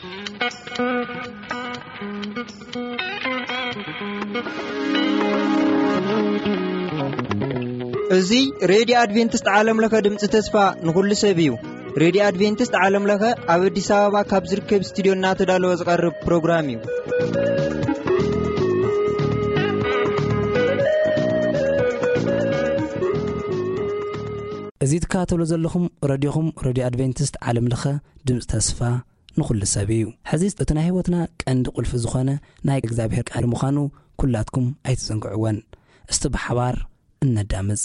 እዚ ሬድዮ ኣድቬንቲስት ዓለም ለኸ ድምፂ ተስፋ ንኹሉ ሰብ እዩ። ሬድዮ ኣድቬንቲስት ዓለም ለኸ ኣብ ኣዲስ ኣበባ ካብ ዝርከብ ስቱዲዮ እናተዳለወ ዝቐርብ ፕሮግራም እዩ። እዚ ትከታተሉ ዘለኹም ረድዮኹም ሬድዮ ኣድቬንቲስት ዓለም ለኸ ድምፂ ተስፋ ንኹሉ ሰብ እዩ። ሕዚ እቲ ናይ ህይወትና ቀንዲ ቁልፊ ዝኾነ ናይ እግዚኣብሔር ቃል ምዃኑ ኩላትኩም ኣይትዘንግዕወን። እስቲ ብሓባር እነዳምፅ።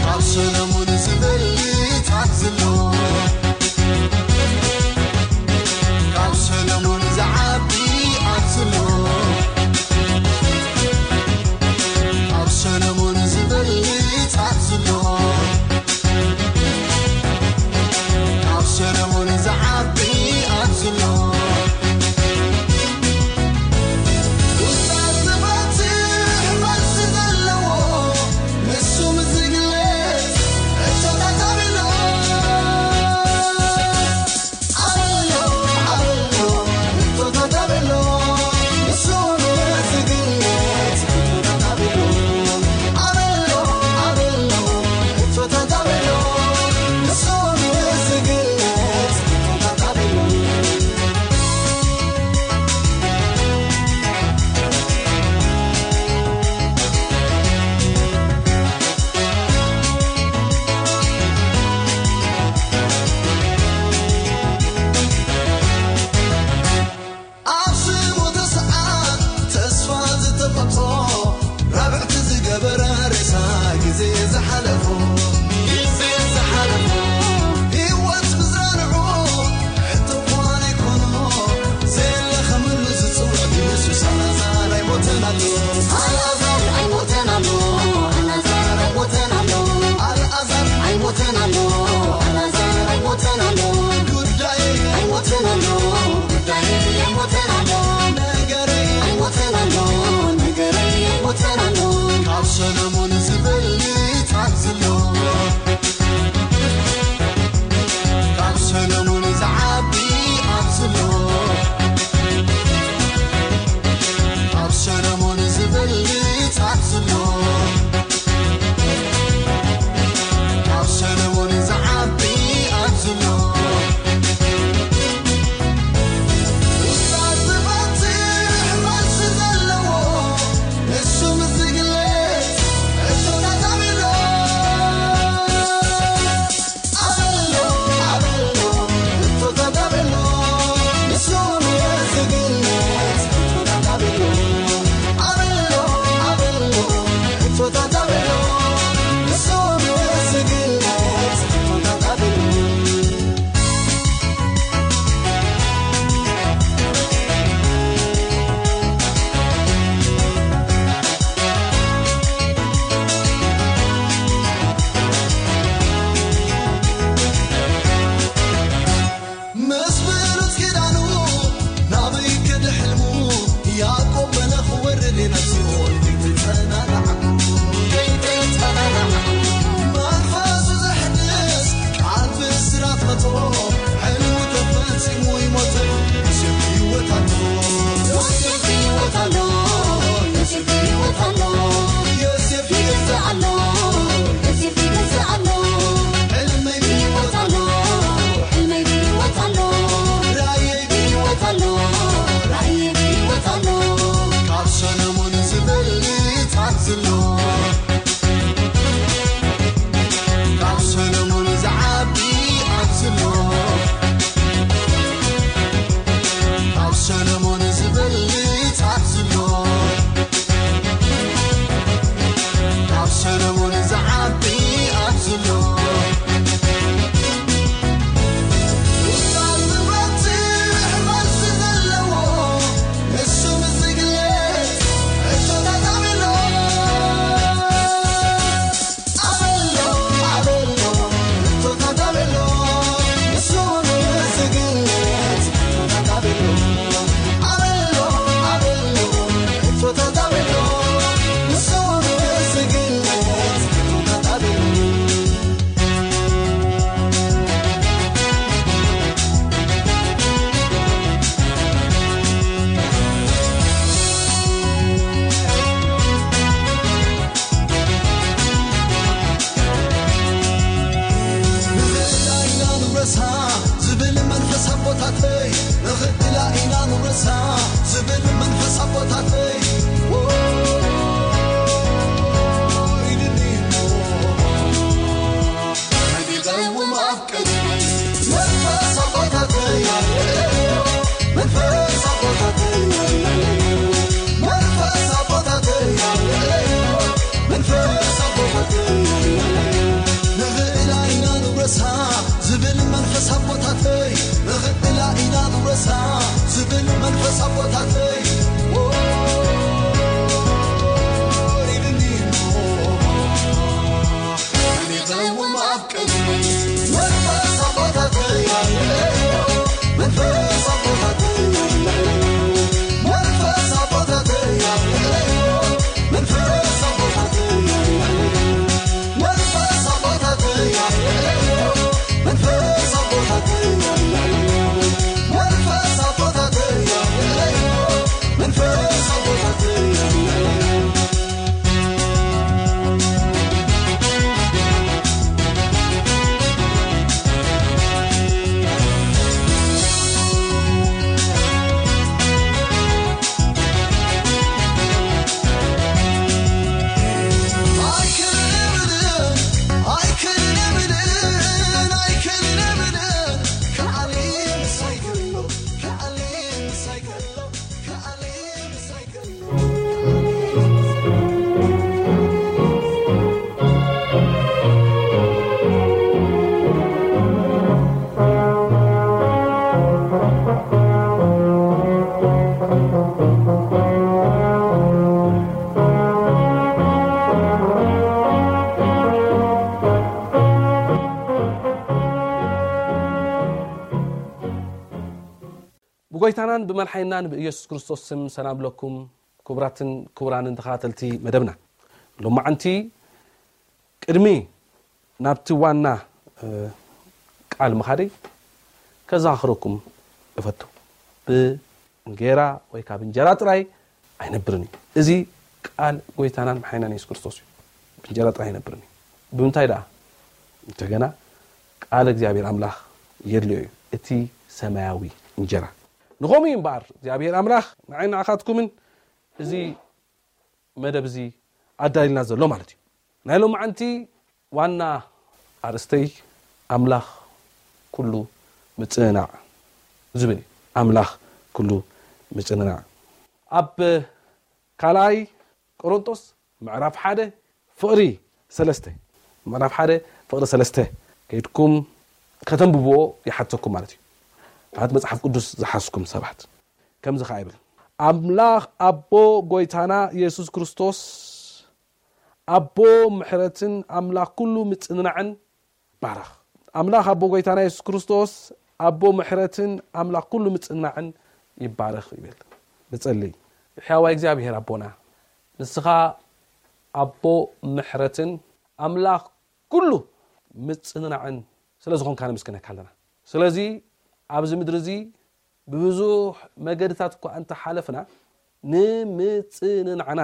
ካብ ሰለሙን ዝበልጽ ኣብዚ ኣሎ። ካብ ሰለሙን ዝዓቢ ኣብዚ ኣሎ። ካብ ሰለሙን ዝብል መንፈስ ኣቦታተይ፣ ንኽእላ ኢና ንውረሳ ዝብል መንፈስ ኣቦታተይ። ኢድኒ ነቢቐዎም ኣብ ቅድሚ መንፈስ ኣቦታተይ፣ መንፈስ ኣቦታተይ፣ መንፈስ ኣቦታተይ፣ መንፈስ ኣቦታተይ። ንኽእላ ኢና ንውረሳ ዝብል መንፈስ ኣቦታተይ፣ ንኽእላ ኢና ንውረሳ ዝብል መንፈስ ኣቦታተይ። ኦ፣ ኢድኒ ነቢቐዎም ኣብ ቅድሚ መንፈስ ኣቦታተይ፣ መንፈስ ኣቦታተይ፣ መንፈስ ኣቦታተይ፣ መንፈስ ኣቦታተይ፣ መንፈስ ኣቦታተይ፣ መንፈስ ኣቦታተይ፣ መንፈስ ኣቦታተይ፣ መንፈስ ኣቦታተይ። ብጎይታናን ብመድሓኒናን ብኢየሱስ ክርስቶስ ስም ሰላም ለኩም። ክቡራትን ክቡራንን ተኸታተልቲ መደብና፣ ሎማዓንቲ ቅድሚ ናብቲ ዋና፣ እ፣ ቃል ምኻደይ ከዘኻኽረኩም እፈቱ። ብእንጌራ ወይ ካብ እንጀራ ጥራይ ኣይነብርን እዩ። እዚ ቃል ጎይታናን መሓይናን የሱስ ክርስቶስ እዩ። ብእንጀራ ጥራይ ኣይነብርን እዩ። ብምንታይ ደኣ? እንተገና ቃል እግዚኣብሔር ኣምላኽ የድልዮ እዩ፣ እቲ ሰማያዊ እንጀራ። ንኸምኡ እዩ እምበኣር እግዚኣብሔር ኣምላኽ ንዓይ ንዓኻትኩምን እዚ መደብ እዚ ኣዳልዩልና ዘሎ ማለት እዩ። ናይ ሎማዓንቲ ዋና ኣርእስተይ ኣምላኽ ኩሉ ምጽንናዕ ዝብል እዩ። ኣምላኽ ኩሉ ምጽንናዕ። ኣብ ካልኣይ ቆሮንጦስ ምዕራፍ ሓደ ፍቕሪ ሰለስተ፣ ምዕራፍ ሓደ ፍቕሪ ሰለስተ ከይድኩም ከተንብብዎ ይሓተኩም ማለት እዩ። ማለት መጽሓፍ ቅዱስ ዝሓዝኩም ሰባት። ከምዚ ኸዓ ይብል፣ ኣምላኽ ኣቦ ጎይታና የሱስ ክርስቶስ፣ ኣቦ ምሕረትን ኣምላኽ ኩሉ ምጽንናዕን ይባረኽ። ኣምላኽ ኣቦ ጎይታና የሱስ ክርስቶስ፣ ኣቦ ምሕረትን ኣምላኽ ኩሉ ምጽንናዕን ይባረኽ ይብል። ንጸልይ። ሕያዋይ እግዚኣብሔር ኣቦና፣ ንስኻ ኣቦ ምሕረትን ኣምላኽ ኩሉ ምጽንናዕን ስለ ዝኾንካ ነመስግነካ ኣለና። ስለዚ ኣብዚ ምድሪ እዚ ብብዙሕ መገድታት እኳ እንተሓለፍና፣ ንምጽንናዕና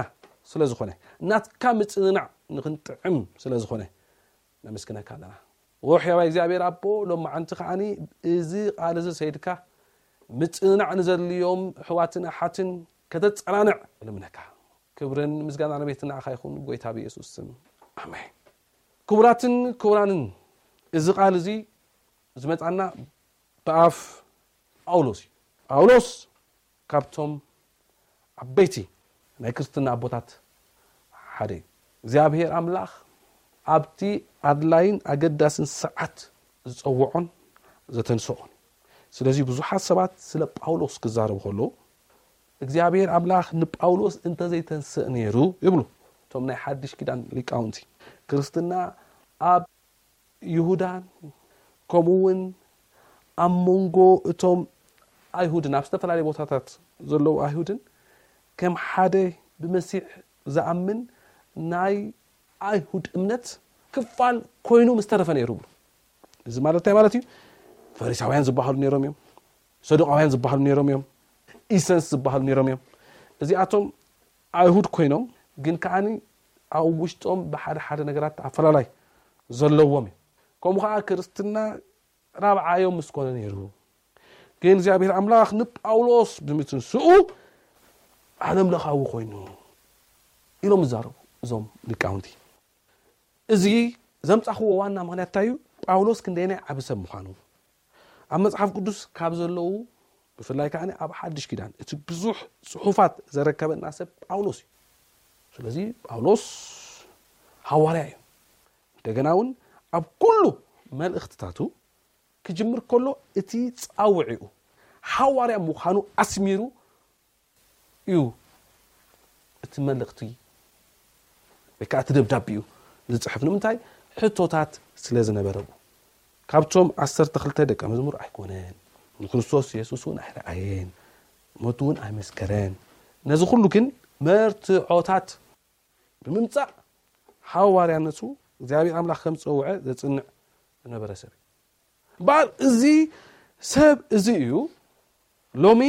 ስለ ዝኾነ፣ ናትካ ምጽንናዕ ንኽንጥዕም ስለ ዝኾነ ነመስግነካ ኣለና። ዎ ሕያዋይ እግዚኣብሔር ኣቦ፣ ሎማዓንቲ ከዓኒ እዚ ቃል እዚ ሰይድካ ምጽንናዕ ንዘድልዮም ኣሕዋትን ኣሓትን ከተጸናንዕ እልምነካ። ክብርን ምስጋናን ኣቤት ንዓኻ ይኹን፣ ጎይታ ብየሱስ ስም፣ ኣሜን። ክቡራትን ክቡራንን፣ እዚ ቃል እዚ ዝመጻና ብኣፍ ጳውሎስ እዩ። ጳውሎስ ካብቶም ዓበይቲ ናይ ክርስትና ኣቦታት ሓደ እዩ። እግዚኣብሔር ኣምላኽ ኣብቲ ኣድላይን ኣገዳስን ሰዓት ዝጸውዖን ዘተንስኦን። ስለዚ ብዙሓት ሰባት ስለ ጳውሎስ ክዛረቡ ከለዉ፣ እግዚኣብሔር ኣምላኽ ንጳውሎስ እንተዘይተንስእ ነይሩ ይብሉ እቶም ናይ ሓድሽ ኪዳን ሊቃውንቲ። ክርስትና ኣብ ይሁዳን ከምኡ እውን ኣብ መንጎ እቶም ኣይሁድን ኣብ ዝተፈላለዩ ቦታታት ዘለዉ ኣይሁድን ከም ሓደ ብመሲሕ ዝኣምን ናይ ኣይሁድ እምነት ክፋል ኮይኑ ምስ ተረፈ ነይሩ ይብሉ። እዚ ማለት እንታይ ማለት እዩ? ፈሪሳውያን ዝበሃሉ ነይሮም እዮም፣ ሰዱቃውያን ዝበሃሉ ነይሮም እዮም፣ ኢሰንስ ዝበሃሉ ነይሮም እዮም። እዚኣቶም ኣይሁድ ኮይኖም ግን ከዓኒ ኣብ ውሽጦም ብሓደ ሓደ ነገራት ኣፈላላይ ዘለዎም እዩ። ከምኡ ከዓ ክርስትና ራብዓዮም ምስ ኮነ ነይሩ፣ ግን እግዚኣብሔር ኣምላኽ ንጳውሎስ ብምትንስኡ ዓለም ለኻዊ ኮይኑ ኢሎም ይዛረቡ እዞም ሊቃውንቲ። እዚ ዘምጻኽዎ ዋና ምኽንያት እንታይ እዩ? ጳውሎስ ክንደየናይ ዓቢ ሰብ ምዃኑ ኣብ መጽሓፍ ቅዱስ ካብ ዘለዉ፣ ብፍላይ ከኣ ኣብ ሓድሽ ኪዳን እቲ ብዙሕ ጽሑፋት ዘረከበና ሰብ ጳውሎስ እዩ። ስለዚ ጳውሎስ ሃዋርያ እዩ። እንደገና እውን ኣብ ኩሉ መልእኽትታቱ ክጅምር ከሎ እቲ ጻውዒኡ፣ ሃዋርያ ምዃኑ ኣስሚሩ እዩ እቲ መልእኽቲ ወይ ከዓ እቲ ደብዳቤኡ ዝጽሕፍ። ንምንታይ? ሕቶታት ስለ ዝነበረዎ። ካብቶም ዓሰርተ ክልተ ደቀ መዝሙር ኣይኮነን። ንክርስቶስ የሱስ እውን ኣይረኣየን፣ ሞቱ እውን ኣይመስከረን። ነዚ ኩሉ ግን መርትዖታት ብምምጻእ ሃዋርያነቱ እግዚኣብሔር ኣምላኽ ከም ዝጸውዐ ዘጽንዕ ዝነበረ ሰብ እዩ። እምበኣር እዚ ሰብ እዚ እዩ ሎሚ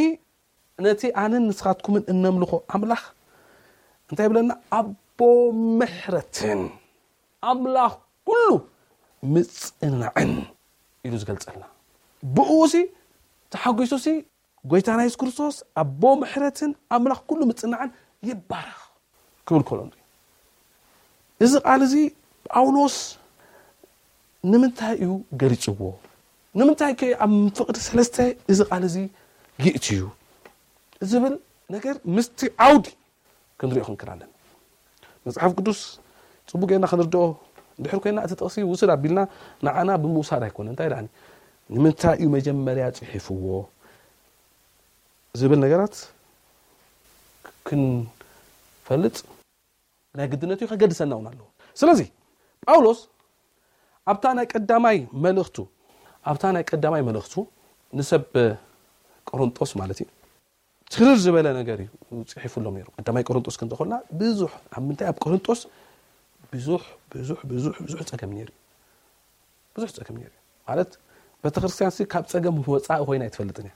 ነቲ ኣነን ንስኻትኩምን እነምልኾ ኣምላኽ እንታይ ይብለና? ኣቦ ምሕረትን ኣምላኽ ኩሉ ምጽንናዕን ኢሉ ዝገልጸልና። ብእኡ ሲ ተሓጒሱ ሲ ጎይታና የሱስ ክርስቶስ ኣቦ ምሕረትን ኣምላኽ ኩሉ ምጽንናዕን ይባረኽ ክብል ከሎ ንርኢ። እዚ ቃል እዚ ጳውሎስ ንምንታይ እዩ ገሊጽዎ? ንምንታይ ከ ኣብ ፍቕዲ ሰለስተ እዚ ቃል እዚ ይእትዩ ዝብል ነገር ምስቲ ዓውዲ ክንሪኦ ክንክእል ኣለና። መጽሓፍ ቅዱስ ጽቡቅ ጌርና ክንርድኦ እንድሕር ኮይና፣ እቲ ጥቕሲ ውስድ ኣቢልና ንዓና ብምውሳድ ኣይኮነ። እንታይ ደኣኒ? ንምንታይ እዩ መጀመርያ ጽሒፍዎ ዝብል ነገራት ክንፈልጥ ናይ ግድነት እዩ፣ ከገድሰና እውን ኣለዎ። ስለዚ ጳውሎስ ኣብታ ናይ ቀዳማይ መልእኽቱ፣ ኣብታ ናይ ቀዳማይ መልእኽቱ ንሰብ ቆሮንጦስ ማለት እዩ፣ ትርር ዝበለ ነገር እዩ ጽሒፉሎም ነይሩ። ቀዳማይ ቆሮንጦስ ክንተኾልና ብዙሕ፣ ኣብ ምንታይ፣ ኣብ ቆሮንጦስ ብዙሕ፣ ብዙሕ፣ ብዙሕ፣ ብዙሕ ጸገም ነይሩ። ብዙሕ ጸገም ነይሩ። ማለት ቤተክርስትያን ሲ ካብ ጸገም ወጻኢ ኮይና ኣይትፈልጥን እያ።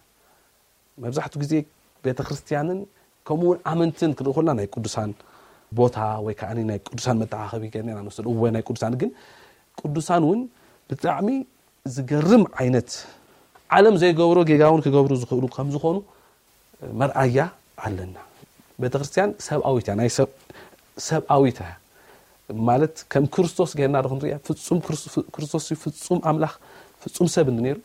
መብዛሕትኡ ግዜ ቤተክርስትያንን ከምኡ እውን ኣመንትን ክንርኢ ከለና ናይ ቅዱሳን ቦታ ወይ ከዓ ናይ ቅዱሳን መተዓኸቢ ገርና ኢና ንወስድ። እወ ናይ ቅዱሳን፣ ግን ቅዱሳን እውን ብጣዕሚ ዝገርም ዓይነት ዓለም ዘይገብሮ ጌጋ እውን ክገብሩ ዝኽእሉ ከም ዝኾኑ መርኣያ ኣለና። ቤተክርስትያን ሰብኣዊት እያ፣ ናይ ሰብ፣ ሰብኣዊት እያ። ማለት ከም ክርስቶስ ጌርና ዶ ክንሪኣ? ፍጹም ክርስ-፣ ክርስቶስ እዩ ፍጹም ኣምላኽ፣ ፍጹም ሰብ እንዲ ነይሩ፣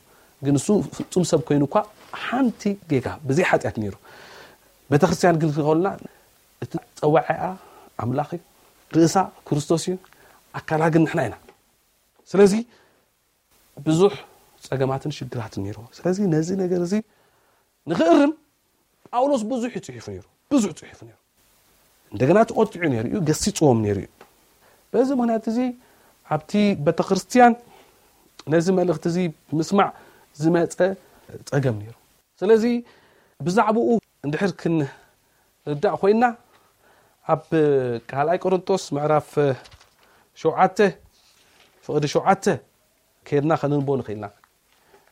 ግን እሱ ፍጹም ሰብ ኮይኑ እኳ ሓንቲ ጌጋ ብዘይ ሓጢኣት ነይሩ። ቤተክርስትያን ግን ክኸልና እቲ ጸዋዒኣ ኣምላኽ እዩ፣ ርእሳ ክርስቶስ እዩ፣ ኣካላ ግን ንሕና ኢና። ስለዚ ብዙሕ ጸገማትን ሽግራትን ነይርዎ። ስለዚ ነዚ ነገር እዚ ንኽእርም ጳውሎስ ብዙሕ እዩ ጽሒፉ ነይሩ፣ ብዙሕ ጽሒፉ ነይሩ። እንደገና ተቖጢዑ ነይሩ እዩ፣ ገሲጽዎም ነይሩ እዩ። በዚ ምኽንያት እዚ ኣብቲ ቤተክርስትያን ነዚ መልእኽቲ እዚ ብምስማዕ ዝመጸ ጸገም ነይሩ። ስለዚ ብዛዕባኡ እንድሕር ክንርዳእ ኮይና ኣብ ካልኣይ ቆሮንጦስ ምዕራፍ ሸውዓተ ፍቕዲ ሸውዓተ ከይድና ከነንቦ ንኽእልና።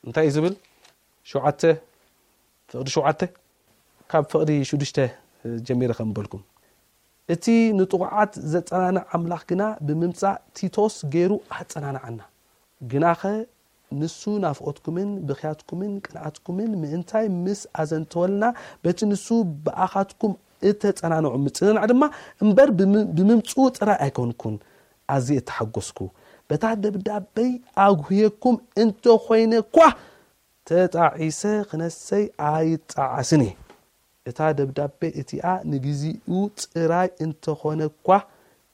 እንታይ እዩ ዝብል? ሸውዓተ ፍቕዲ ሸውዓተ፣ ካብ ፍቕዲ ሽዱሽተ ጀሚረ ከም በልኩም፣ እቲ ንጥቑዓት ዘጸናንዕ ኣምላኽ ግና ብምምጻእ ቲቶስ ገይሩ ኣጸናንዓና። ግናኸ ንሱ ናፍቖትኩምን ብኽያትኩምን ቅንኣትኩምን ምእንታይ ምስ ኣዘንተወልና፣ በቲ ንሱ ብኣኻትኩም እተጸናንዑ ምጽንናዕ ድማ እምበር ብም-፣ ብምምጽኡ ጥራይ ኣይኮንኩን ኣዝየ እተሓጎስኩ። በታ ደብዳበይ ኣጉህየኩም እንተኾይነ እኳ፣ ተጣዒሰ ክነሰይ ኣይጣዓስን እየ። እታ ደብዳቤ እቲኣ ንግዜኡ ጥራይ እንተኾነ እኳ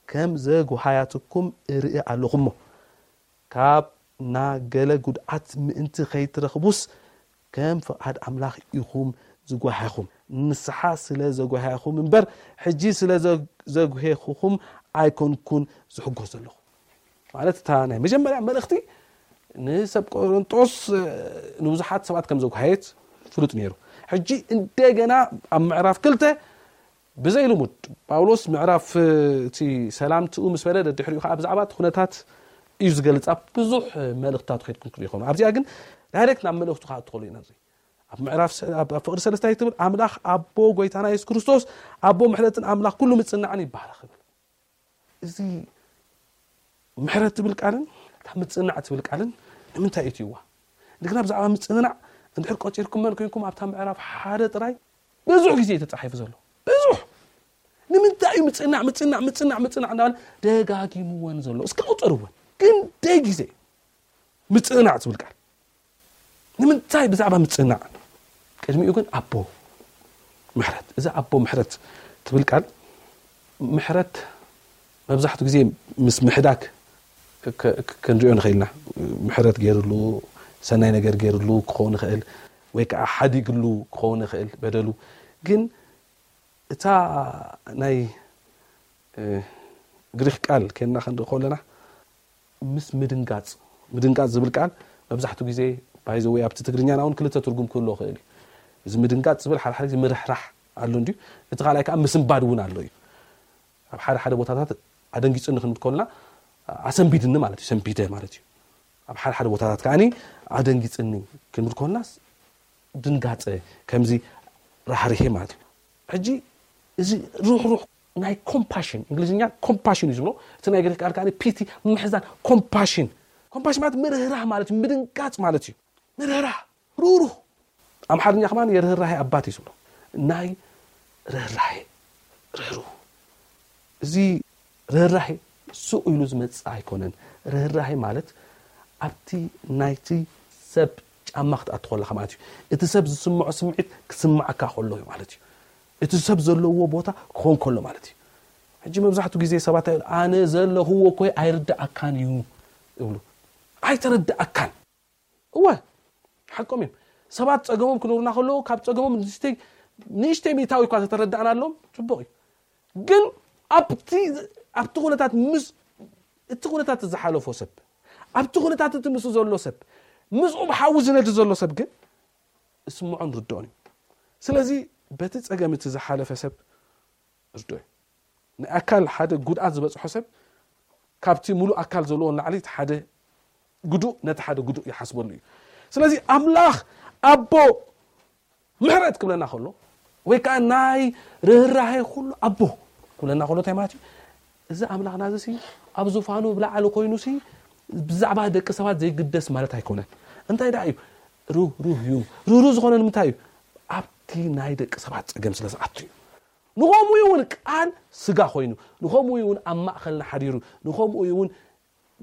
ከም ዘጉሃያትኩም እርኢ ኣለኹ እሞ፣ ካብ ናገለ ጉድኣት ምእንቲ ከይትረኽቡስ ከም ፍቓድ ኣምላኽ ኢኹም ዝጓሃኹም። ንስሓ ስለ ዘጓሃኹም እምበር፣ ሕጂ ስለ ዘ-፣ ዘጉሄኹኹም ኣይኮንኩን ዝሕጎስ ዘለኹ። ማለት እታ ናይ መጀመርያ መልእኽቲ ንሰብ ቆሮንጦስ፣ እ፣ ንብዙሓት ሰባት ከም ዘጉሃየት ፍሉጥ ነይሩ። ሕጂ እንደገና ኣብ ምዕራፍ ክልተ ብዘይ ልሙድ ጳውሎስ ምዕራፍ፣ እ፣ እቲ ሰላምትኡ ምስ በለ ደድሕሪኡ ከዓ ብዛዕባ እቲ ኩነታት እዩ ዝገልጽ። ኣብ ብዙሕ፣ እ፣ መልእኽትታት ከይድኩም ትሪኡ ኢኹም። ኣብዚኣ ግን ዳይሬክት ናብ መልእኽቱ ከዓ እትኸሉ ኢና ንርኢ። ኣብ ምዕራፍ ሰ-፣ ኣብ፣ ኣብ ፍቕዲ ሰለስታይ ትብል ኣምላኽ ኣቦ ጎይታና የሱስ ክርስቶስ ኣቦ ምሕረትን ኣምላኽ ኩሉ ምጽናዕን ይባረኽ ይብል። እዚ ምሕረት ትብል ቃልን እታ ምጽናዕ ትብል ቃልን ንምንታይ እትይዋ? እንደገና ብዛዕባ ምጽንናዕ እንድሕር ቆጺርኩመን ኮይንኩም ኣብታ ምዕራፍ ሓደ ጥራይ ብዙሕ ግዜ እዩ ተጻሒፉ ዘሎ። ብዙሕ ንምንታይ እዩ ምጽናዕ ምጽናዕ ምጽናዕ ምጽናዕ እንዳበለ ደጋጊምወን ዘሎ? እስከ ቁጸርወን። ግን ደይ ግዜ ምጽናዕ ዝብል ቃል ንምንታይ ብዛዕባ ምጽናዕ? ቅድሚኡ ግን ኣቦ ምሕረት። እዚ ኣቦ ምሕረት ትብል ቃል ምሕረት መብዛሕትኡ ግዜ ምስ ምሕዳግ ክ- ክ- ክንሪኦ ንኽእል ኢና። ምሕረት ገይርሉ፣ ሰናይ ነገር ገይርሉ ክኸውን ይኽእል፣ ወይ ከዓ ሓዲግሉ ክኸውን ይኽእል በደሉ። ግን እታ ናይ እ፣ ግሪክ ቃል ከና ክንርኢ ከለና ምስ ምድንጋጽ ምድንጋጽ ዝብል ቃል መብዛሕትኡ ግዜ ባይዘወይ ኣብቲ ትግርኛና እውን ክልተ ትርጉም ክህልዎ ይኽእል እዩ። እዚ ምድንጋጽ ዝብል ሓደ ሓደ ግዜ ምርሕራሕ ኣሎ እንድዩ፣ እቲ ካልኣይ ከዓ ምስንባድ እውን ኣሎ እዩ። ኣብ ሓደ ሓደ ቦታታት ኣደንጊጽኒ ክንብል ከለና ኣሰንቢድኒ ማለት እዩ፣ ሰንቢደ ማለት እዩ። ኣብ ሓደ ሓደ ቦታታት ከዓኒ ኣደንጊጽኒ ክንብል ከለናስ ድንጋጸ ከምዚ ራህርሄ ማለት እዩ። ሕጂ እዚ ሩሕሩሕ ናይ ኮምፓሽን እንግሊዝኛ ኮምፓሽን እዩ ዝብሎ፣ እቲ ናይ ግሪክ ቃል ከዓ ፒቲ ምሕዛን። ኮምፓሽን ኮምፓሽን ማለት ምርህራህ ማለት እዩ፣ ምድንጋጽ ማለት እዩ። ምርህራህ ሩሩህ ኣምሓርኛ ከማን የርህራሄ ኣባት እዩ ዝብሎ። ናይ ርህራሄ ርህሩህ እዚ ርህራሄ ስቕ ኢሉ ዝመጽእ ኣይኮነን። ርህራሄ ማለት ኣብቲ ናይቲ ሰብ ጫማ ክትኣቱ ከለኻ ማለት እዩ። እቲ ሰብ ዝስምዖ ስምዒት ክስምዓካ ከሎ እዩ ማለት እዩ። እቲ ሰብ ዘለዎ ቦታ ክኾን ከሎ ማለት እዩ። ሕጂ መብዛሕትኡ ግዜ ሰባት ኣነ ዘለኽዎ እኮ ኣይርድኣካን እዩ ይብሉ። ኣይተረድኣካን። እወ ሓቆም እዮም። ሰባት ጸገሞም ክነግሩና ከለዉ ካብ ጸገሞም ንእሽተይ ንእሽተይ ሚእታዊ እኳ ተተረዳእናሎም ጽቡቕ እዩ። ግን ኣብቲ ኣብቲ ኩነታት ምስ እቲ ኩነታት ዝሓለፎ ሰብ ኣብቲ ኩነታት እቲ ምስኡ ዘሎ ሰብ ምስኡ ብሓዊ ዝነድ ዘሎ ሰብ ግን እስምዖን ርድኦን እዩ። ስለዚ በቲ ጸገም እቲ ዝሓለፈ ሰብ ርድኦ እዩ። ናይ ኣካል ሓደ ጉድኣት ዝበጽሖ ሰብ ካብቲ ሙሉእ ኣካል ዘለዎ ንላዕሊ እቲ ሓደ ግዱእ ነቲ ሓደ ግዱእ ይሓስበሉ እዩ። ስለዚ ኣምላኽ ኣቦ ምሕረት ክብለና ከሎ ወይ ከዓ ናይ ርህራሄ ኩሉ ኣቦ ክብለና ከሎ እንታይ ማለት እዩ? እዚ ኣምላኽና እዚ ሲ ኣብ ዙፋኑ ብላዕሊ ኮይኑ ሲ ብዛዕባ ደቂ ሰባት ዘይግደስ ማለት ኣይኮነን። እንታይ ደኣ እዩ? ሩህ ሩህ እዩ። ሩህ ሩህ ዝኾነ ንምንታይ እዩ? ኣብቲ ናይ ደቂ ሰባት ጸገም ስለ ዝኣቱ እዩ። ንኸምኡ እውን ቃል ስጋ ኮይኑ ንኸምኡ እውን ኣብ ማእኸልና ሓዲሩ ንኸምኡ እውን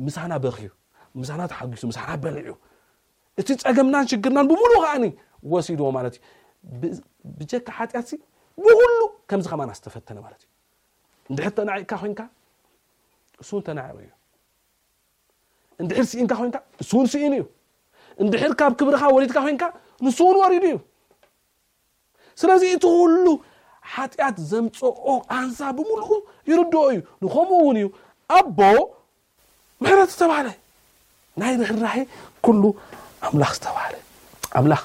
ምሳና በኽዩ ምሳና ተሓጒሱ ምሳና በሊዑ እቲ ጸገምናን ሽግርናን ብምሉእ ከዓኒ ወሲድዎ ማለት እዩ። ብ- ብጀካ ሓጢኣት ሲ ብኩሉ ከምዚ ከማን ኣስተፈተነ ማለት እዩ። እንድሕር ተናዒቕካ ኮይንካ እሱ እውን ተናዒቑ እዩ። እንድሕር ስኢንካ ኮይንካ እሱ እውን ስኢኑ እዩ። እንድሕር ካብ ክብርኻ ወሪድካ ኮይንካ ንሱ እውን ወሪዱ እዩ። ስለዚ እቲ ኩሉ ሓጢኣት ዘምፅኦ ቃንዛ ብምልኡ ይርድኦ እዩ። ንኸምኡ እውን እዩ ኣቦ ምሕረት ዝተባህለ ናይ ርህራሄ ኩሉ ኣምላኽ ዝተባህለ ኣምላኽ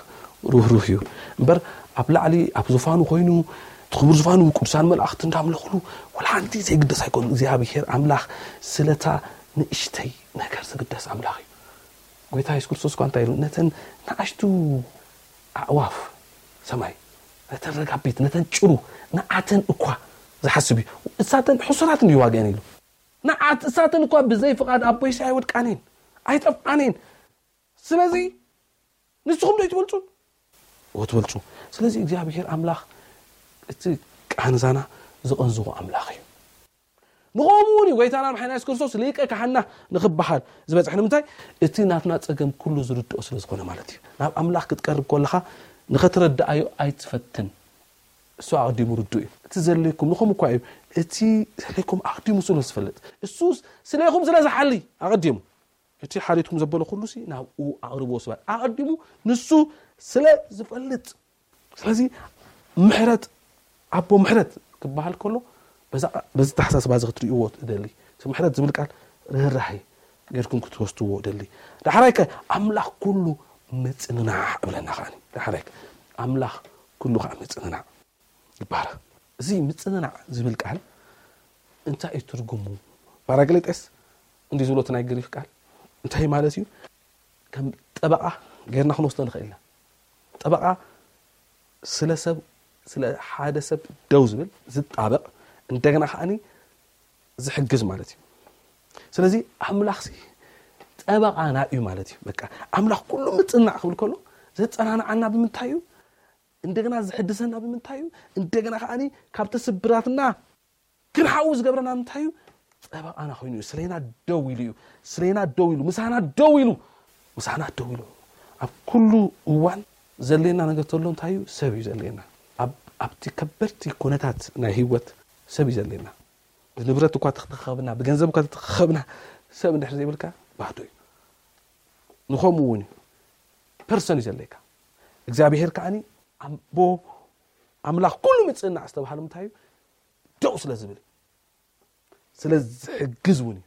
ሩህሩህ እዩ። እምበር ኣብ ላዕሊ ኣብ ዙፋኑ ኮይኑ እቲ ክቡር ዙፋኑ ቅዱሳን መላእኽቲ እንዳምለኽሉ ወላ ሓንቲ ዘይግደስ ኣይኮኑ። እግዚኣብሔር ኣምላኽ ስለታ ንእሽተይ ነገር ዝግደስ ኣምላኽ እዩ። ጎይታ የሱስ ክርስቶስ እኳ እንታይ ኢሉ ነተን ንኣሽቱ ኣዕዋፍ ሰማይ ነተን ረጋቢት ነተን ጭሩ ንዓተን እኳ ዝሓስብ እዩ። እሳተን ሕሱራት እንድዩ ዋግአን ኢሉ ንዓት እሳተን እኳ ብዘይ ፍቓድ ኣቦይሲ ኣይወድቃኔን ኣይጠፍኣኔን። ስለዚ ንስኹም ዶ ትበልጹን ወትበልጹ። ስለዚ እግዚኣብሔር ኣምላኽ እቲ ቃንዛና ዝቐንዝቑ ኣምላኽ እዩ። ንኸምኡ እውን እዩ ጎይታና ምሓና የሱስ ክርስቶስ ሊቀ ካህና ንኽበሃል ዝበፅሕ ንምንታይ እቲ ናትና ፀገም ኩሉ ዝርድኦ ስለ ዝኾነ ማለት እዩ። ናብ ኣምላኽ ክትቀርብ ከለኻ ንኸትረድኣዮ ኣይትፈትን። እሱ ኣቐዲሙ ርዱእ እዩ። እቲ ዘድልየኩም ንኸም እኳ እዩ እቲ ዘድልየኩም ኣቐዲሙ ስለ ዝፈልጥ እሱ ስለይኹም ስለ ዝሓሊ ኣቐዲሙ እቲ ሓሊትኩም ዘበሎ ኩሉ ሲ ናብኡ ኣቕርቦ ስባት ኣቐዲሙ ንሱ ስለ ዝፈልጥ ስለዚ ምሕረት ኣቦ ምሕረት ክበሃል ከሎ በዚ ተሓሳስባ እዚ ክትርእይዎ እደሊ። እቲ ምሕረት ዝብል ቃል ርህራሄ ጌርኩም ክትወስድዎ እደሊ። ዳሕራይ ከ ኣምላኽ ኩሉ ምጽንናዕ እብለና ከኣ ዳሕራይ ኣምላኽ ኩሉ ከዓ ምጽንናዕ ይባሃል። እዚ ምጽንናዕ ዝብል ቃል እንታይ እዩ ትርጉሙ? ፓራቅሊጠስ እንዲ ዝብሎ እቲ ናይ ግሪክ ቃል እንታይ ማለት እዩ? ከም ጠበቃ ጌርና ክንወስዶ ንኽእል ኢና። ጠበቃ ስለ ሰብ ስለ ሓደ ሰብ ደው ዝብል ዝጣበቅ እንደገና ከዓኒ ዝሕግዝ ማለት እዩ። ስለዚ ኣምላኽ ሲ ጠበቓና እዩ ማለት እዩ። በቃ ኣምላኽ ኩሉ ምጽናዕ ክብል ከሎ ዘጸናንዓና ብምንታይ እዩ? እንደገና ዝሕድሰና ብምንታይ እዩ? እንደገና ከዓኒ ካብቲ ስብራትና ክንሓዊ ዝገብረና ምንታይ እዩ? ጠበቓና ኮይኑ እዩ። ስለና ደው ኢሉ እዩ። ስለና ደው ኢሉ፣ ምሳና ደው ኢሉ፣ ምሳና ደው ኢሉ። ኣብ ኩሉ እዋን ዘሌና ነገር ተሎ እንታይ እዩ? ሰብ እዩ ዘሌና። ኣብ ኣብቲ ከበድቲ ኩነታት ናይ ህይወት ሰብ እዩ ዘሌና። ብንብረት እኳ ተተኸብና፣ ብገንዘብ እኳ ተተኸብና፣ ሰብ እንድሕር ዘይብልካ ባዶ እዩ። ንኸምኡ እውን እዩ ፐርሰን እዩ ዘለካ። እግዚኣብሔር ከዓኒ ኣቦ ኣምላኽ ኩሉ ምጽእናዕ ዝተባህለ ምንታይ እዩ? ደው ስለ ዝብል እዩ። ስለ ዝሕግዝ እውን እዩ።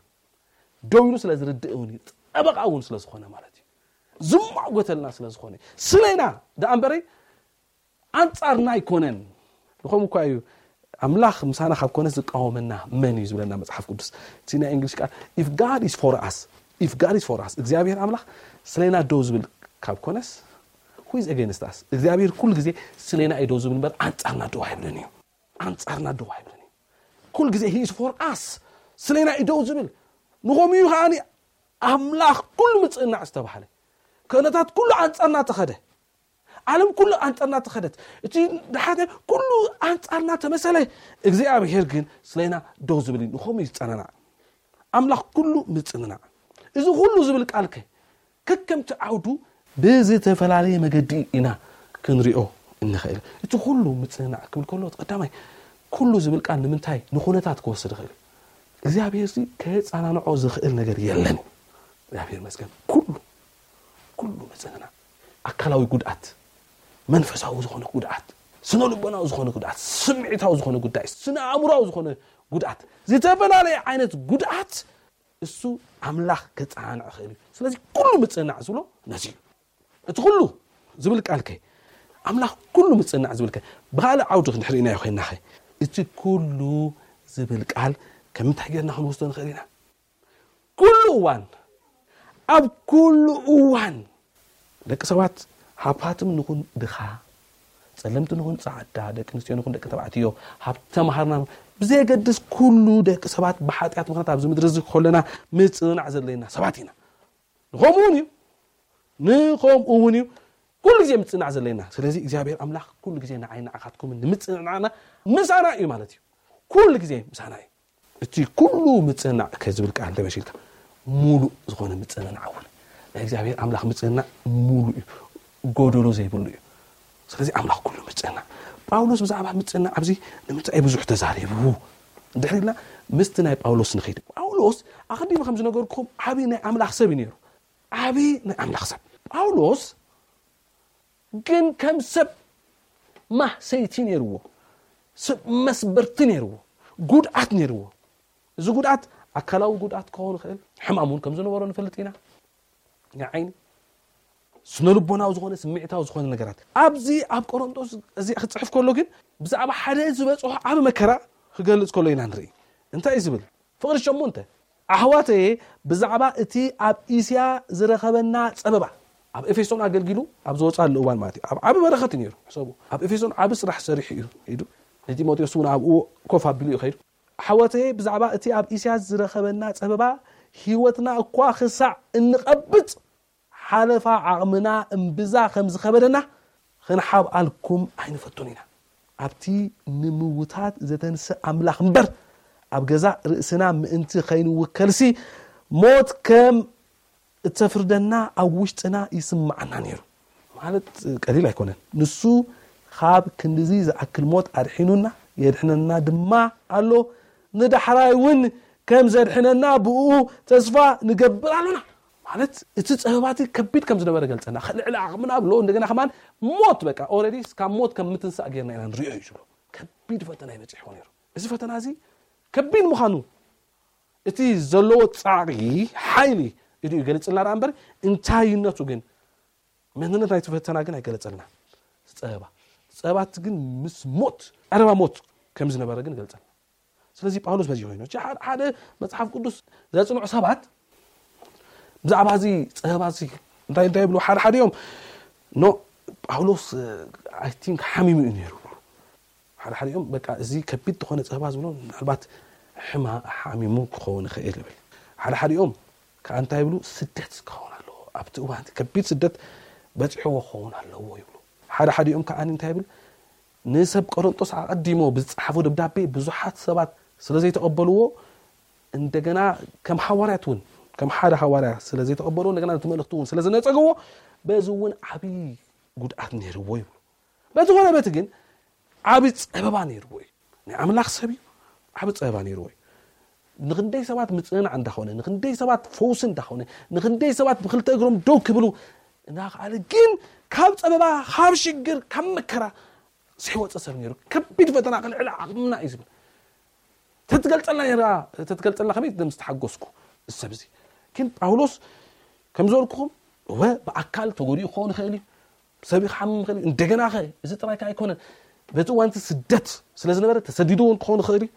ደው ኢሉ ስለ ዝርድእ እውን እዩ። ጠበቓ እውን ስለ ዝኾነ ማለት እዩ። ዝማጎተልና ስለ ዝኾነ እዩ። ስለና ደኣ እምበረይ ኣንጻርና ኣይኮነን። ንኸም እኳ እዩ ኣምላኽ ምሳና ካብ ኮነስ ዝቃወመና መን እዩ ዝብለና መጽሓፍ ቅዱስ። እቲ ናይ እንግሊሽ ቃል if God is for us if God is for us እግዚኣብሔር ኣምላኽ ስለና ደው ዝብል ካብ ኮነስ who is against us እግዚኣብሔር ኩሉ ግዜ ስለና እዩ ደው ዝብል እምበር ኣንጻርና ደው ኣይብልን እዩ። ኣንጻርና ደው ኣይብልን እዩ። ኩሉ ግዜ he is for us ስለና እዩ ደው ዝብል። ንኸምኡ እዩ ከዓኒ ኣምላኽ ኩሉ ምጽእናዕ ዝተባህለ ክእነታት ኩሉ ኣንጻርና ተኸደ። ዓለም ኩሉ ኣንጻርና ተኸደት። እቲ ድሓተ ኩሉ ኣንጻርና ተመሰለ። እግዚኣብሔር ግን ስለና ደው ዝብል እዩ። ንኸምኡ እዩ ዝጸናናዕ። ኣምላኽ ኩሉ ምጽንናዕ። እዚ ኩሉ ዝብል ቃል ከ ከከምቲ ዓውዱ ብዝተፈላለየ መገዲ ኢና ክንሪኦ እንኽእል። እቲ ኩሉ ምጽንናዕ ክብል ከሎ እቲ ቀዳማይ ኩሉ ዝብል ቃል ንምንታይ ንኹነታት ክወስድ ይኽእል እዩ። እግዚኣብሔር ሲ ከየጻናንዖ ዝኽእል ነገር የለን። እግዚኣብሔር ይመስገን። ኩሉ ኩሉ ምጽንናዕ ኣካላዊ ጉድኣት፣ መንፈሳዊ ዝኾነ ጉድኣት፣ ስነ ልቦናዊ ዝኾነ ጉድኣት፣ ስምዒታዊ ዝኾነ ጉዳይ፣ ስነ ኣእምሮዊ ዝኾነ ጉድኣት፣ ዝተፈላለየ ዓይነት ጉድኣት እሱ ኣምላኽ ከጸናንዕ ይኽእል እዩ። ስለዚ ኩሉ ምጽንናዕ ዝብሎ ነዚ እዩ። እቲ ኩሉ ዝብል ቃል ከ ኣምላኽ ኩሉ ምጽንናዕ ዝብል ከ ብኻልእ ዓውዲ ክንድሕር ኢናዮ ኮይንና ኸ እቲ ኩሉ ዝብል ቃል ከም እንታይ ጌርና ክንወስዶ ንኽእል ኢና? ኩሉ እዋን ኣብ ኩሉ እዋን ደቂ ሰባት ሃብታም ንኹን ድኻ ጸለምቲ ንኹን ጻዕዳ ደቂ ኣንስትዮ ንኹን ደቂ ተባዕትዮ ሃብቲ ተማሃርና ብዘየገድስ ኩሉ ደቂ ሰባት ብሓጢኣት ምኽንያት ኣብዚ ምድሪ እዚ ከለና ምጽንናዕ ዘለና ሰባት ኢና። ንኸምኡ እውን እዩ ንኸምኡ እውን እዩ ኩሉ ግዜ ምጽናዕ ዘለና። ስለዚ እግዚኣብሔር ኣምላኽ ኩሉ ግዜ ንዓይ ንዓኻትኩም ንምጽንናዕና ምሳና እዩ ማለት እዩ። ኩሉ ግዜ ምሳና እዩ። እቲ ኩሉ ምጽንናዕ ከዝብል ቃል እንተመሲልካ ሙሉእ ዝኾነ ምጽንናዕ እውን ናይ እግዚኣብሔር ኣምላኽ ምጽንናዕ ሙሉእ እዩ፣ ጎደሎ ዘይብሉ እዩ። ስለዚ ኣምላኽ ኩሉ ምጽንናዕ። ጳውሎስ ብዛዕባ ምጽንናዕ ኣብዚ ንምንታይ ብዙሕ ተዛሪቡ? ድሕሪ ኢልና ምስቲ ናይ ጳውሎስ ንኸይድ። ጳውሎስ ኣቐዲሙ ከም ዝነገርኩም ዓብዪ ናይ ኣምላኽ ሰብ እዩ ነይሩ። ዓብዪ ናይ ኣምላኽ ሰብ ጳውሎስ ግን ከም ሰብ ማህሰይቲ ነይርዎ፣ ሰብ መስበርቲ ነይርዎ፣ ጉድኣት ነይርዎ። እዚ ጉድኣት ኣካላዊ ጉድኣት ክኸውን ይኽእል፣ ሕማም እውን ከም ዝነበሮ ንፈልጥ ኢና። ናይ ዓይኒ ስነልቦናዊ ዝኾነ ስምዒታዊ ዝኾነ ነገራት ኣብዚ ኣብ ቆሮንጦስ እዚ ክፅሕፍ ከሎ ግን ብዛዕባ ሓደ ዝበፅሖ ዓብ መከራ ክገልፅ ከሎ ኢና ንርኢ። እንታይ እዩ ዝብል? ፍቕሪ ሸሞንተ ኣሕዋተየ ብዛዕባ እቲ ኣብ እስያ ዝረኸበና ፀበባ ኣብ ኤፌሶን ኣገልጊሉ ኣብ ዝወፃሉ እዋን ማለት እዩ ኣብ ዓብ በረኸት እዩ ነይሩ። ሕሰቡ ኣብ ኤፌሶን ዓብ ስራሕ ሰሪሑ እዩ ዱ ንጢሞቴዎስ እውን ኣብኡ ኮፍ ኣቢሉ እዩ ኸይዱ። ኣሕዋተየ ብዛዕባ እቲ ኣብ እስያ ዝረኸበና ፀበባ ህይወትና እኳ ክሳዕ እንቐብፅ ሓለፋ ዓቕምና እምብዛ ከም ዝኸበደና ክንሓብኣልኩም ኣይንፈቱን ኢና። ኣብቲ ንምውታት ዘተንስእ ኣምላኽ እምበር ኣብ ገዛእ ርእስና ምእንቲ ከይንውከልሲ ሞት ከም እተፍርደና ኣብ ውሽጥና ይስምዓና ነይሩ። ማለት ቀሊል ኣይኮነን። ንሱ ካብ ክንድዚ ዝኣክል ሞት ኣድሒኑና የድሕነና ድማ ኣሎ። ንዳሕራይ እውን ከም ዘድሕነና ብኡ ተስፋ ንገብር ኣሎና። ማለት እቲ ጸበባቲ ከቢድ ከም ዝነበረ ገልጸና። ልዕሊ ዓቕምና ብሎ እንደገና ከማን ሞት በቃ ኦረዲ ካብ ሞት ከም ምትንሳእ ጌርና ኢና ንሪኦ እዩ ዝብሎ። ከቢድ ፈተና ይበጽሕዎ ነይሩ። እዚ ፈተና እዚ ከቢድ ምዃኑ እቲ ዘለዎ ጻዕሪ ሓይሊ ኢዱ ይገልጽልና ደኣ እምበር እንታይነቱ ግን መንነት ናይቲ ፈተና ግን ኣይገለጸልና። ጸበባ ጸበባት ግን ምስ ሞት ቀረባ ሞት ከም ዝነበረ ግን ገልጸልና። ስለዚ ጳውሎስ በዚ ኮይኑ ሓደ መጽሓፍ ቅዱስ ዘጽንዑ ሰባት ብዛዕባ እዚ ጸበባ እዚ እንታይ እንታይ ይብሉ ሓደ ሓደ እዮም ኖ ጳውሎስ I think ሓሚሙ እዩ ነይሩ ሓደ ሓዲኦም በቃ እዚ ከቢድ ዝኾነ ጸባ ዝብሎ ምናልባት ሕማ ሓሚሙ ክኸውን ይኽእል ይብል። ሓደ ሓዲኦም ከዓ እንታይ ይብሉ? ስደት ክኸውን ኣለዎ። ኣብቲ እዋን ከቢድ ስደት በፂሕዎ ክኸውን ኣለዎ ይብሉ። ሓደ ሓዲኦም ከዓ እንታይ ይብል? ንሰብ ቆሮንጦስ ኣቐዲሞ ብዝፀሓፎ ደብዳቤ ብዙሓት ሰባት ስለ ዘይተቐበልዎ፣ እንደገና ከም ሓዋርያት እውን ከም ሓደ ሓዋርያ ስለ ዘይተቐበልዎ፣ እንደገና ነቲ መልእኽቲ እውን ስለ ዝነፀግዎ፣ በዚ እውን ዓብዪ ጉድኣት ነይርዎ ይብሉ። በዝኾነ በቲ ግን ዓቢ ጸበባ ነይርዎ እዩ። ናይ ኣምላኽ ሰብ እዩ። ዓቢ ጸበባ ነይርዎ እዩ። ንኽንደይ ሰባት ምጽንናዕ እንዳኾነ፣ ንኽንደይ ሰባት ፈውሲ እንዳኾነ፣ ንኽንደይ ሰባት ብክልተ እግሮም ደው ክብሉ እንዳኸኣለ፣ ግን ካብ ጸበባ፣ ካብ ሽግር፣ ካብ መከራ ዘይወጸ ሰብ ነይሩ። ከቢድ ፈተና ክልዕል ዓቕምና እዩ ዝብል። ተትገልጸልና ነይራ፣ ተትገልጸልና ከመይ ደም ዝተሓጎስኩ ሰብ እዚ። ግን ጳውሎስ ከም ዝበልኩኹም፣ እወ ብኣካል ተጎዲኡ ክኸውን ይኽእል እዩ። ሰብ ክሓምም ይኽእል እዩ። እንደገና ኸ እዚ ጥራይ ከ ኣይኮነን። በቲ እዋን እቲ ስደት ስለ ዝነበረ ተሰዲዱ እውን ክኸውን ይኽእል እዩ።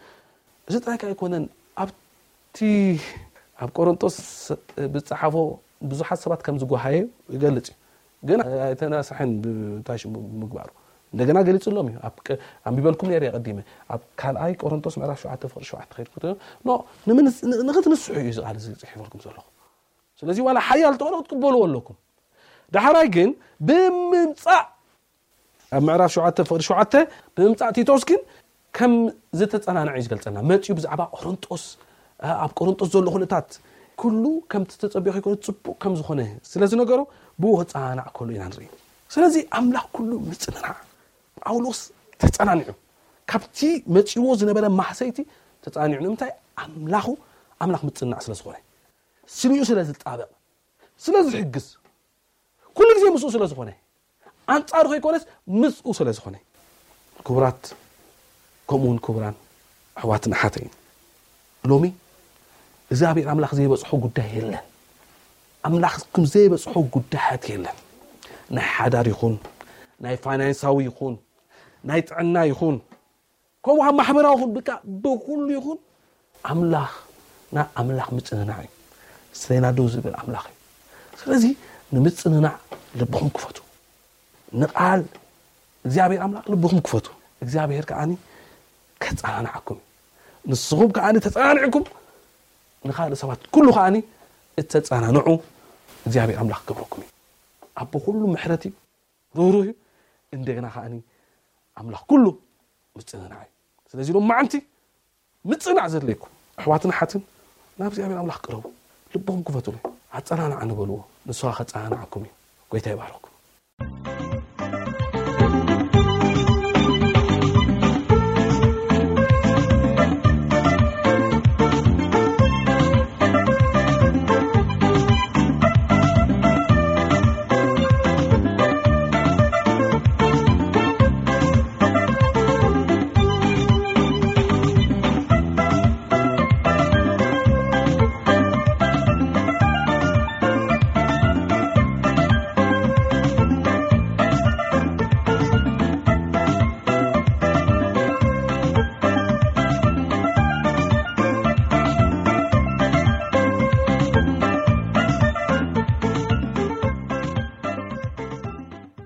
እዚ ጥራይ ከ ኣይኮነን። ኣብቲ ኣብ ቆሮንጦስ ብዝጸሓፎ ብዙሓት ሰባት ከም ዝጓሃየ ይገልጽ እዩ። ግን ኣይተናስሐን ብታሽ ምግባሩ። እንደገና ገሊጽሎም እዩ። ኣብ ቀ-፣ ኣንቢበልኩም ነይረ ቀዲመ። ኣብ ካልኣይ ቆሮንጦስ ምዕራፍ ሸውዓተ ፍቕሪ ሸውዓተ ከይድኩ ተ-፣ ኖ፣ ንምንስ-፣ ን-፣ ንኽትንስሑ እዩ እዚ ቃል እዚ ጽሒፈልኩም ዘለኹ። ስለዚ ዋላ ሓያል ተኾነ ክትቅበልዎ ኣለኩም። ዳሕራይ ግን ብምምጻእ፣ ኣብ ምዕራፍ ሸውዓተ ፍቕሪ ሸውዓተ፣ ብምምጻእ ቲቶስ ግን ከም ዝተጸናንዐ እዩ ዝገልጸልና። መጺኡ ብዛዕባ ቆሮንጦስ፣ ኣ-፣ ኣብ ቆሮንጦስ ዘሎ ኩነታት ኩሉ ከምቲ ተጸቢኦ ከይኮነ ጽቡቕ ከም ዝኾነ ስለ ዝነገሮ ብኡ ክጸናናዕ ከሎ ኢና ንርኢ። ስለዚ ኣምላኽ ኩሉ ምጽንናዕ፣ ጳውሎስ ተጸናኒዑ፣ ካብቲ መጺዎ ዝነበረ ማህሰይቲ ተጸናኒዑ። ንምንታይ? ኣምላኹ ኣምላኽ ምጽንናዕ ስለ ዝኾነ፣ ስሊኡ ስለ ዝጣበቕ፣ ስለ ዝሕግዝ፣ ኩሉ ግዜ ምስኡ ስለ ዝኾነ፣ ኣንጻሩ ከይኮነስ ምስኡ ስለ ዝኾነ። ክቡራት፣ ከምኡ እውን ክቡራን ኣሕዋትን ኣሓተይን፣ ሎሚ እግዚኣብሔር ኣምላኽ ዘይበጽሖ ጉዳይ የለን። ኣምላኽ ከም ዘይበጽሖ ጉዳያት የለን። ናይ ሓዳር ይኹን፣ ናይ ፋይናንሳዊ ይኹን፣ ናይ ጥዕና ይኹን፣ ከምኡ ኣብ ማሕበራዊ ይኹን፣ ብቃ ብኹሉ ይኹን፣ ኣምላኽና ኣምላኽ ምጽንናዕ እዩ። ስለና ደው ዝብል ኣምላኽ እዩ። ስለዚ ንምጽንናዕ ልብኹም ክፈቱ። ንቃል እግዚኣብሔር ኣምላኽ ልብኹም ክፈቱ። እግዚኣብሔር ከዓኒ ከጸናንዓኩም እዩ። ንስኹም ከዓኒ ተጸናኒዕኩም ንኻልእ ሰባት ኩሉ ከዓኒ እተጸናንዑ እግዚኣብሔር ኣምላኽ ክገብረኩም እዩ። ኣቦ ኩሉ ምሕረት እዩ፣ ርህሩህ እዩ። እንደገና ከዓኒ ኣምላኽ ኩሉ ምጽንናዕ እዩ። ስለዚ ሎም መዓንቲ ምጽናዕ ዘድለይኩም ኣሕዋትን ኣሓትን ናብ እግዚኣብሔር ኣምላኽ ቅረቡ። ልብኹም ክፈቱሉ። ኣጸናንዓኒ በልዎ። ንሱ ከኣ ከጸናንዓኩም እዩ። ጎይታ ይባርኽኩም።